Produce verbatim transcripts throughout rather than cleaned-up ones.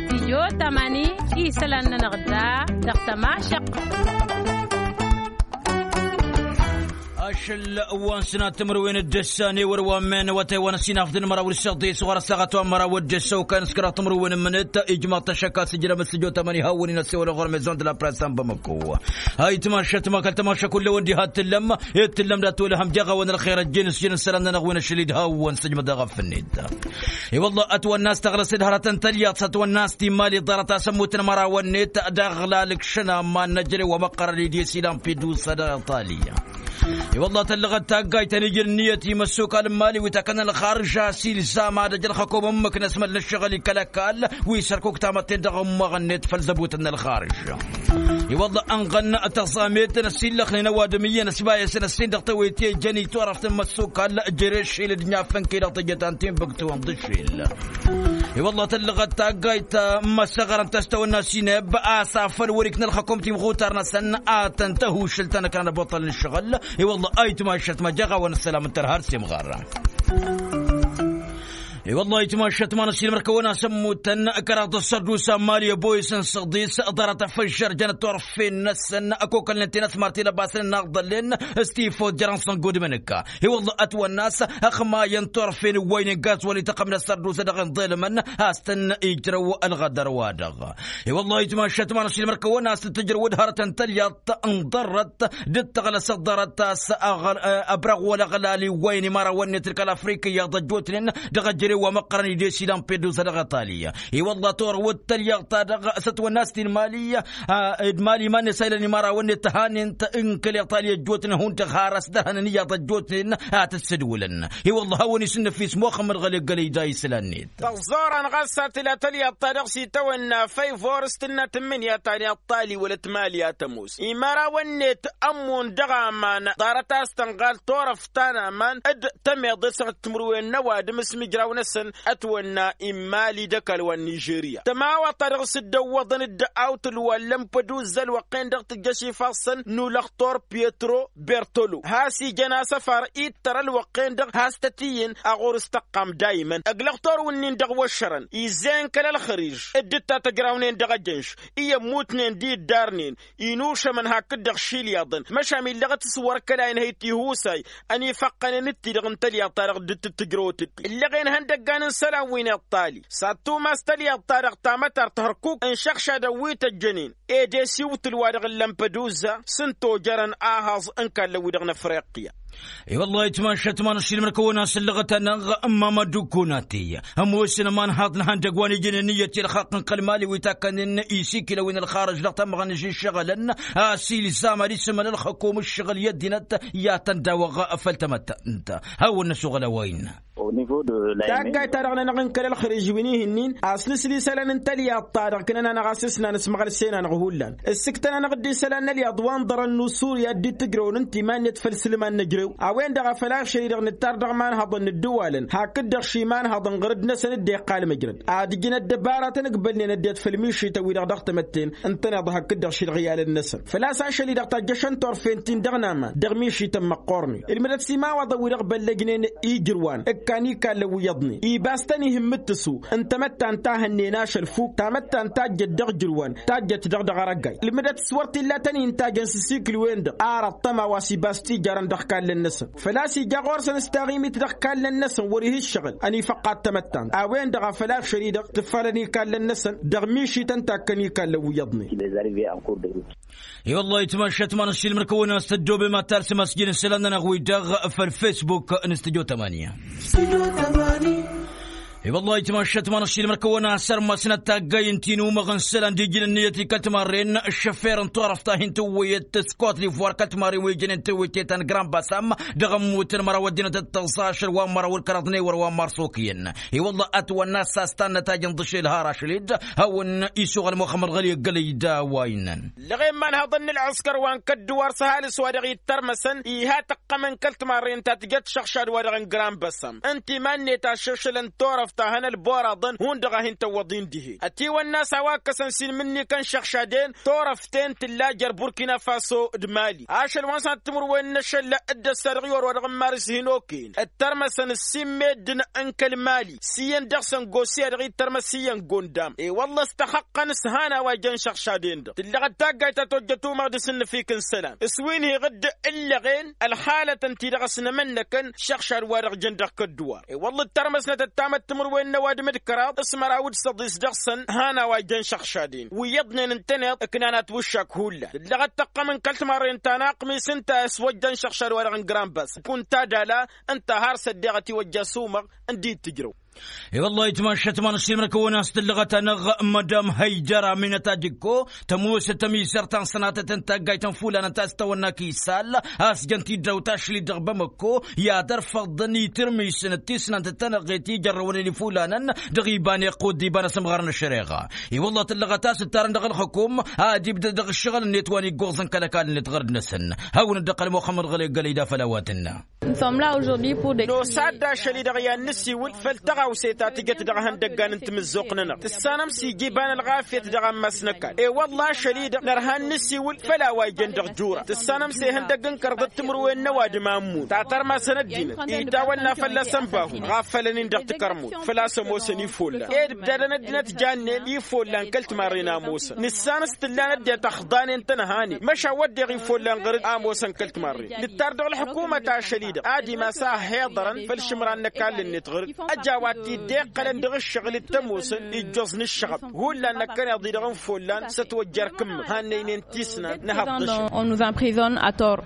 Tijo tămani isălan-nănăɣ da dăɣ-tămašăq. Ašăl wa n-sănat timǝrwen d-ăssan i-wăr wa n-men wa tăywan ăsinaf d-inmăraw d-săḍis ɣur-ăssaɣăt wa n-măraw d-ăssan wa n-sănat timǝrwen n-mănăt ijmaḍ-t ašăk a-s ǝjrăm s-tijo tămani hawăn-in ăssewăl ɣur-mezon d-la press n-bamăko. Ayǝtmašăt ma kăl-tămašăk kull-ewăn diha t-tǝllăm i-t-tǝllăm dat-wălhăm jaɣ-awăn ălxer ăjjeen s-jăn ǝssălan-nănăɣ wi n-ašăl-dd hawăn-sǝjmăd aɣăf-net. I-wălla ătwănna a-s tăɣrăs-dd hărătăn tălyaḍt s-ătwănna a-s timmali ḍarăt-as ămmutăn mărawăn-net. Dăɣ-lalǝk šănamma n-năjrăw wa măqqărăn idis ilan pidus dăɣ-iṭali. I-wălla tăllăɣăt taggayt ănijăn ǝnniyăt i-imăssukal n-imali wi takănăn ălxarǝž a-s ilzam ad-ăj ălxăkom ǝmmǝk n-asmăl n-ǝššăɣǝl ikăl-ăkall wi s-ărkuk tamătte dăɣ-ămmăɣăn-net făll-zăbutăn n-ălxarǝž. I-wălla ănɣăn tăẓamet n-ăsillăxnen ăwadǝm iyyăn ăsbayăsăn ăssin dăɣ-tewăyt i-ejăn iturăft n-imăssukal. Jere šil d-inyafăn-ki-dăɣ tejăt antin băgtăwăn d-ašil. I-wălla tăllăɣăt taggayt n-imăssăɣărăn tăstăwănna sineb a-s afăl wăr-ikna ălxăkom timɣutar-năsăn a tăn-tăhušǝl ta n-ăkran ăboṭăl n-ǝššăɣǝl. I-wălla ayǝtmašăt ma jaɣ-awăn ăssălam n-tărha ar s-imɣar. I-wălla ayǝtmašăt ma n-ăssiilmăr kăwăn-asămmutăn kăraḍ ăssărdusa n-imali ăboyăs n-săḍis ḍarăt afăžžăr jănăt turfen-năsăn ăkokălnen tinăsmart ilăbasăn n-aɣḍăllen. S-tifot jărăn s-ăngodmăn ǝkka i-wălla ătwănna a-s ăxmayăn turfen ǝwwăynen gazwăl ităqqăm n-ăssărdusa dăɣ-inḍelmăn a-s tăn-ijrăw ălɣădăr-wa-dăɣ. I-wălla ayǝtmašăt ma n-ăssiilmăr kăwăn-asăn tǝjrăw d-hărătăn tălyaḍt ǝnḍărrăt d-tăɣlăsăt ḍarăt a-s ăbrăɣ wăla ăɣlal iwwăyăn imărawăn-net d-kăl-afrika iyyăḍ ăjjootnen dăɣ-ejărew wa măqqărăn idesidan peddusa dăɣ-iṭali. I-wălla torăwăt tălyaḍt-ta-dăɣ s-ătwănna a-s tinmali d-imali iman-net a ilăn imărawăn-net tăhanen-t n-kăl-iṭali ăjjootnen hundăɣ har ăsdărhănăn iyyăḍ ăjjootnen a tǝssǝdwǝlăn. I-wălla hawăn-isǝnnăf ismoxăm d-ɣăl eggălăy da islan-net. Tăẓẓorăn ɣas a tǝla tălyaḍt-ta-dăɣ s-itawănna făyvor s-tǝnna tǝmmǝnǝya ta n-iṭṭali wăla t-mali a tămoos imărawăn-net ămmun dăɣ-aman ḍarăt a-s tănɣal turăft ta n-aman d-tămeḍe s-ăɣ timǝrwen n-ăwadǝm s-imǝjraw-năsăn. Ătwănna immali d-ăkall wa n-nižerya tămawaḍt-ta-dăɣ s-dd-ăwwăḍăn-dd awtǝl wa n-lămpăduz ălwăqq-en-dăɣ tǝjjăš ifassăn n-ulăxtor pyetro bertolo has-ijăn asăfar ittăr ălwăqq-en-dăɣ has-tăt-iyyăn a ɣur-s tăqqam dayman ăglăxtor-wǝnnin dăɣ-wăššărăn izzen kăl-ălxăriž dd-tatăjrawnen dăɣ-ejănš i-ămmutnen d-iddarnen inušămăn hakd-dăɣ šilyaḍăn măšan illăɣăt s-wăr kăla inhăy tihusay ănifăqqănen d-ti-dăɣ n-tălyaḍt-ta-dăɣ dd-tǝttǝjrăwăt-dd ǝllăɣen ihăndăggan n-isălan wi n-iṭṭali s-ad-tumas tălyaḍt-ta-dăɣ tamătart hărkuk n-išăɣšadăn wi tăjjănen ed esiwtǝl-wa-dăɣ n-lămpăduzza s-ǝnta ojărăn ahăẓ n-ikallăn-wi-dăɣ n-afriqya. I-wăllah itmašăt ma n-ašilmăr kăwăn-asǝllăɣăt-anăɣ n-mama d-ukkunati ămoosăn ămanhaḍ n-ihăndăgg wa n-ijnen ǝnniyăt i-ălxaqq n-kăl-mali wi takkănen isikilăwin ălxarăj dăɣ-tamăɣăn ǝžžǝššăɣǝlăn a-s ilzam ad-isǝmăl ălxăkom ǝššăɣǝl i-ăddinăt i-ad-tăn-dawăɣ făll-tamăttănt. Hawăn-năsoɣăl a-wa innă. Taggayt-ta-dăɣ-nănăɣ n-kăl-ălxăriž wi n-ihǝnnin a-s nǝsli isălan n-tălyaḍt-ta-dăɣ ǝknăn-anăɣ a-s ǝsnan s-imăɣlǝsen-anăɣ hullan ǝssǝktăn-anăɣ-dd isălan n-ălyaḍ wa n-ḍărăn n-usurya dd-tǝjrăwăn ǝnta iman-net făll-sǝlǝman n-ejrew. A-wen-dăɣ a făl ašăl-i-dăɣ nǝttar dăɣ-imanhăḍăn n-ǝddǝwalăn hakd-dăɣ šimănhăḍ ǝnɣăr-dd-năsăn dd-iqqal măjrăd ad-ǝjǝn ăddăbaratăn ǝgbălnen ăddinăt făll-mišităn-wi-dăɣ dăɣ-tamătten ǝntăneḍ hakd-dăɣ šilɣǝyalăn-năsăn. Făl-a-s ašăl-i-dăɣ tajjăšăn turfen-tin dăɣ-naman dăɣ-mišităn măqqornen ǝlmǝdăt s-imawaḍăn-wi-dăɣ băllăjnen ijrǝwan ǝkkan ikallăn wi iyyăḍnen ibas-tăn ihǝmmǝttǝsu n-tamăttant ta hănnen ašăl fuk tamăttant tajjăt dăɣ-ijrǝwan tajjăt dăɣ-dăɣ arăggay ǝlmǝdăt s-wăr t-illa tăn-in-tajăn s-asikǝl-wen-dăɣ ar ăṭṭăma wa s-ibas tijarăn dăɣ-ikallăn-năsăn. Făl-a-s ija ɣur-săn s-taɣimit dăɣ-ikallăn-năsăn wăr-ih ǝššăɣǝl ănifăqqat tamăttant a-wen-dăɣ a făl-ašăl-i-dăɣ tǝffalăn ikallăn-năsăn dăɣ-mišităn takkăn ikallăn wi iyyăḍnen. I-wăllah itmašăt ma n-ašilmăr kăwăn-as tăddoobem ad-talsăm asjin isălan-nănăɣ-wi-dăɣ făll-fesbuk n-stujo tămani. I-wăllah itmašăt ma n-ašilmăr kăwăn-as ărmasnăt taggay n-tinumăɣ n-isălan d-ijǝn ǝnniyăt i-kăl-timarren ăššăfer n-turăft ta hin-tǝwwăyăt s-kot divoir kăl-timarren wi ijănen tǝwwăyăt i-tan grand basam dăɣ-ămmutăn măraw ăddinăt d-tăẓẓa ašăl wa n-măraw ǝlkăraḍ n-ewăr wa n-mars okǝyăn. I-wăllah ătwănna a-s s-tannăt ajăn d-ašăl har ašăl-dd hawăn-isuɣăl muxămmăd ɣăli ăggălăy d-a-wa innăn. Ǝllăɣen imanhăḍăn n-ălɣǝskăr wa n-kădduwar s-ăhalǝs wa dăɣ-ittărmăsăn iha tăqqămăn kăl-timarren ta tǝjăt šăɣšad-wa-dăɣ n-grand basam ǝnta iman-net aššăšălăn turăft. ăstahăn ălboraḍăn hundăɣ a hin-tăwwăḍ-in dihen ătiwănna a-s a-wa ǝkkăsăn s-inmǝnnikăn šăɣšaden. Turăft-en tǝlla jer-burkina faso d-mali ašăl wa n-sănat timǝrwen n-ašăl dd-ăssa dăɣ-iwăr wa dăɣ-n maris hin-okăyăn ǝttărmăsăn ǝssin meddǝn n-kăl-mali s-iyyăn dăɣ-săn gosǝya dăɣ-ittărmăs iyyăn gondam. I-wălla ăstăxăqqăn s-han a-wa ijăn šăɣšaden-dăɣ tǝllăɣăt taggayt ta tojjăt umăɣ d-asǝnnǝfik n-isălan s-wi n-hi-iɣǝdd ǝllăɣen ălxalătăn-ti-dăɣ ăsnămănnăkăn šăɣšad wa dăɣ-jăn dăɣ-kădduwar. I-wălla ǝttărmăsnăt ăttamăt timǝrwen n-ăwadǝm d-kăraḍ s-măraw d-săḍis dăɣ-săn han a-wa ijăn šăɣšaden wi iyyăḍnen ǝntăneḍ ǝknan atwǝššak hullan tǝllăɣăt tăqqăm n-kăl-timarren ta n-aqmis ǝnta a-s wa ǝjjăn šăɣšad wa dăɣ-n grambas kunta dala ǝnta har s-ăddeɣăt iwăjja s-umăɣ ǝndi d-tǝjrăw. I-wăllah itmašăt ma n-ašilmăr kăwăn-as tǝllăɣăt-anăɣ mădam hăyjăr aminăt adikko tămoosăt ămizăr ta n-sănatăt n-taggayt n-fulanăn ta s-tawănna kisal a-s jăn-t-dd-awt ašli dăɣ-bamăkko i-ad-ărfăḍăn itirmisăn d-tisnant d-tanăɣɣet i-jărrăwăn i-fulanăn dăɣ-iba n-iqqud d-iba n-asǝmɣar n-ăššăreɣa. I-wăllah tǝllăɣăt a-s ǝttarăn dăɣ-ălxukum ad-ibdăd dăɣ-ǝššăɣǝl-net wa n-iggoẓăn kăl-ăkall-net ɣărd-năsăn. Hawăn-dd-iqqăl muxămmăd ɣăley gălăy da făll-a-wa tǝnna. Nos ad-dd-ašăl-i-dăɣ i-ad-nǝsiwǝl făll-tăɣawse ta tǝjăt dăɣ-ihăndăggan n-timǝzzuɣt-nănăɣ tǝssanăm s-ija iba n-ălɣafyăt dăɣ-ammas n-ăkall i-wălla ašăl-i-dăɣ nărha ad-nǝsiwǝl făll-a-wa ijăn dăɣ-jura tǝssanăm s-ehăndăgg n-kărăḍăt timǝrwen n-ăwadǝm a ǝmmut ta tărmasăn ăddinăt itawănna fălla-săn bahu ɣaf fălăn-in dăɣ-tikărmut făl-a-s ămoosăn ifollan ed ǝbdadăn ăddinăt jannen ifollan kăl-timarren a ămoosăn nǝssan s-tǝllan ăddinăt ăxḍanen tănhanen măšan wădden ifollan ɣăr-dd a ămoosăn kăl-timarren nǝttar dăɣ-ălḥǝkumăt ašăl-i-dăɣ ad-imas a ăhhiḍărăn făll-išǝmran n-ăkall-net ɣăr-dd ăjawat-t-dd-iqqălăn dăɣ-ǝššăɣǝl d-tămoosăn ijjoẓ n-ǝššăɣăb hullan năkkăneḍ-i-dăɣ n-follan s-ătwăjjăr kǝmmǝ hannăynen tisnan n-ehăḍ d-ăššăɣǝl.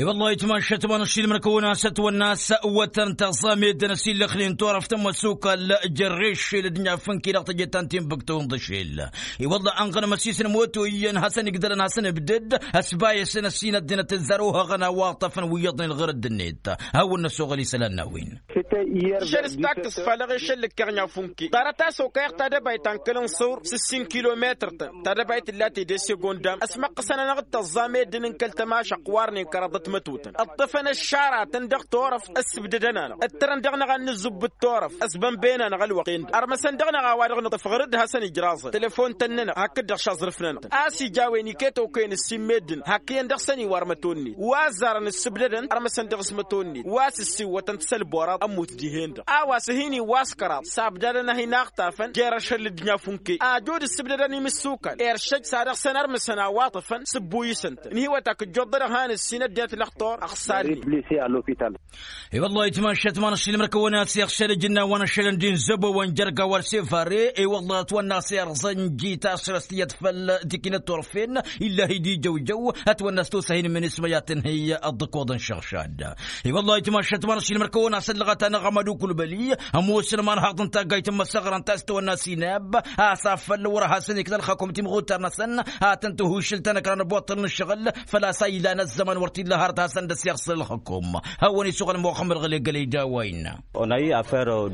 I-wăllah itmašăt ma n-ašilmăr kăwăn-as ătwănna a-s ăwwătăn tăẓẓa meddǝn ăsillăxnen turăft n-imăsukal jer-rešel d-inyafǝnki dăɣ-teje ta n-tinbǝktu n-iḍǝšel. I-wăllah ănɣănăm ăsisnăm oto iyyăn hasăn-igdălăn hasăn-ǝbdǝd ăsbayăsăn ăssin ăddinăt ǝzzar ohăɣăn a-wa ǝṭṭăfăn wi iyyăḍnen ɣărădd-net. Hawăn-năsoɣăl isălan n-a-wen. Šăl s-takkǝs falăɣ i-šăl ǝkkeɣ n-afunke ḍarăt a-s okăyăɣ tadăbayt ta n-kăl-ǝnṣur s-ǝssin kilometăr-tăn. Tadăbayt tǝlla tede s-egondam ăsmăqqăsăn-anăɣ d-tăẓẓa meddǝn n-kăl-tămašăqq warnen kăraḍăt mătotăn ǝṭṭăfăn ăššara-tăn dăɣ-turăft s-ǝbdădăn-anăɣ ǝttărăn dăɣ-năɣ ad-nǝzzubb d-turăft ăsbănbăyăn-anăɣ ălwăqq-en-dăɣ ărmăsăn dăɣ-năɣ a-wa-dăɣ nǝṭṭăf ɣăr-dd hasăn-ijraẓăn telefon-tăn-nănăɣ hakd-dăɣ šaẓrǝf-nănăɣ-tăn a-s ija a-wen iket okăyăn ǝssin meddǝn hakkăyăn dăɣ-săn iwarmăto-net wa ăzzarăn ǝssǝbdădăn ărmăsăn dăɣ-s măto-net wa s-ǝssiwwătăn-t s-ălboraḍ ămmut dihen-dăɣ a-wa s-hin-iwwa s-kăraḍ s-abdadăn a hin-aɣtafăn jer-ašăl d-inyafunk-e ajud ǝssǝbdădăn imǝssukal eršăj s-ad-dăɣ-săn ărmǝsăn a-wa ǝṭṭăfăn s-ǝbbuyǝsăn-tăn ǝnhǝywăt a kǝjjoḍ-dăɣ han ǝssin ăddinăt lăxtur ăxsalnen. I-wăllah itmašăt ma n-ašilmăr kăwăn-as iɣšăl ǝjǝnna wa n-ašălăn d-inzăbăwăn jer-gawar sefare i-wăllah ătwănna a-s irẓăn jita s-răstiyăt făll-tikinăt turfen. Illahi d-ijăwjăw ătwănna a-s tosa hin-imǝnismăyat n-hi-ăḍḍǝkoḍ n-šăɣšad. I-wăllah itmašăt ma n-ašilmăr kăwăn-as ăllăɣăt-anăɣ amădukul băli ămoosăn imanhaḍ n-taggayt n-imăsăɣra ǝnta a-s tăwănna sinab a-s afăl wăr hasăn-ikna ălxakum timɣutar-năsăn. Ad-tăn-tǝhušǝl tanăkra n-ăboṭṭăl n-ǝššăɣǝl făl-a-s a ilan ăzzăman wăr t-illa hărăt hasăn-dd-ăsiɣsǝl ălxakum. Hawăn-isuɣăl muxămmăd ɣăley gălăy d-a-wa innă.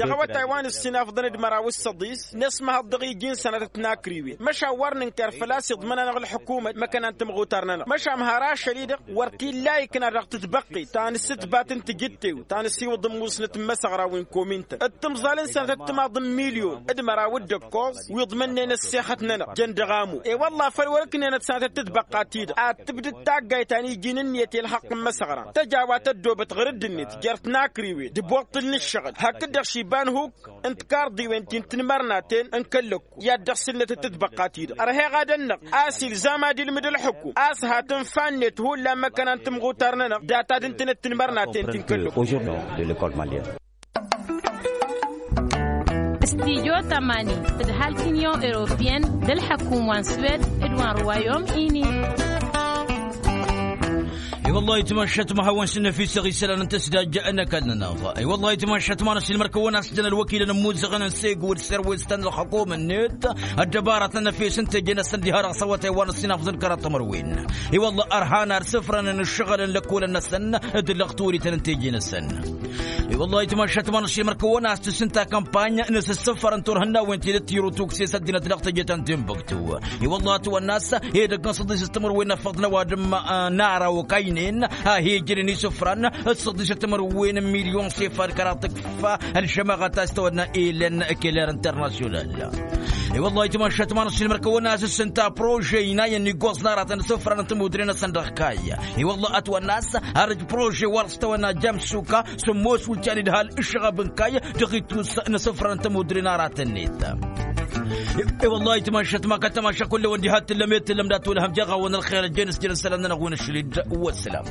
Dăɣ-awătay wa n-ǝssin afḍăn d-măraw s-săḍis năsmăhăḍ dăɣ-iji n-sănatăt n-akriwen măšan wăr nǝnkăr făl-a-s iḍmăn-anăɣ ǝlḥǝkumăt măkkănan timɣutar-nănăɣ măšan har ašăl-i-dăɣ wăr t-illa ikna dăɣ-tǝtbăqqit ta n-asǝtbat n-tijǝttew ta n-asiwǝḍ n-musnăt n-imăsăɣra wi n-komin-tăn d-timẓal n-sănatăt timaḍ n-milyon d-măraw d-ăkkoẓ wi iḍmănnen ăssexăt-nănăɣ jăn dăɣ-amu. I-wălla făl wăr-ǝknenăt sănatăt tǝtbăqqa-ti-dăɣ ad-tǝbdǝd taggayt ta n-iji n-ǝnniyăt i-ălxaqq n-imăsăɣra tăjawat ăddoobăt ɣăr dd-net jer-tinakrǝwen d-ibuṭṭǝl n-ǝššăɣǝl hakd-dăɣ šiba n-huk n-tikarḍiwen ti n-tinmărnaten n-kăl-lăkku i-ad-dăɣ-sǝlnăt d-tǝtbăqqa-ti-dăɣ ărheɣ ad-ănnăɣ a-s ilzam ad-ilmǝd ălxǝkum a-s hat-ǝnfa-net hullan măkkăna n-timɣutar-nănăɣ data d-ǝntănet tinmărnaten ti n-kăl-lăkku. Studyo tămani d-halk union europeyenne d-ălḥăkum wa n-swed d-wa n-royaume uni. I-wăllah itmašăt ma hawăn-s n-efisăɣ isălan n-tăsdajja n-ăkall-nănăɣ. I-wăllah itmašăt ma n-asilmăr kăwăn-as-jăn ălwăkilăn ămmuzzăɣăn n-segu d-serwes ta n-ălxăkum-net ăddăbaratăn efes n-teje-năsăn diha dăɣ-s awătay wa n-ăssinafḍăn kăraḍ timărwen. I-wăllah ărhan ar sǝfrănăn ǝššăɣǝl n-lăkkolăn-năsăn d-lăɣturităn n-teje-năsăn. I-wăllah itmašat ma n-ašilmăr kăwăn-as tǝssǝnta kampany n-asǝssǝfăr n-turhǝnnawen tidǝt tiru tukse s-ăddinăt dăɣ-teje ta n-tinbuktu. I-wăllah ătwănna a-s hedăgg n-săḍis s-timǝrwen n-afăḍ n-ăwadǝm n-ara okaynen a he-ijrǝn isǝfran d-săḍis s-timǝrwen n-milyon s-efad kăraḍ tǝkfa ălžămaɣăt a-s tăwănna elen keler internasyonal. I-wăllah itmašat ma n-ašilmăr kăwăn-as tǝssǝnta prože inayăn n-iggoẓ n-aratăn isǝfran n-timudre-năsăn dăɣ-kayy. I-wăllah ătwănna a-s har ǝj prože wa dăɣ-s tăwănna jamsuka s-ămoos wǝlčan idhal ǝššăɣăb n-kayy dăɣ-itus n-asǝfra n-tămudre n-aratăn-net. I-wăllah itmašat ma kăl-tamaša kull-ewăn diha t-tǝllăm i-tǝllăm dat-wălhăm jeɣ-awăn ălxer ăjjeen s-jăn isălan-nănăɣ wi n-ašli-dd. Wăslam.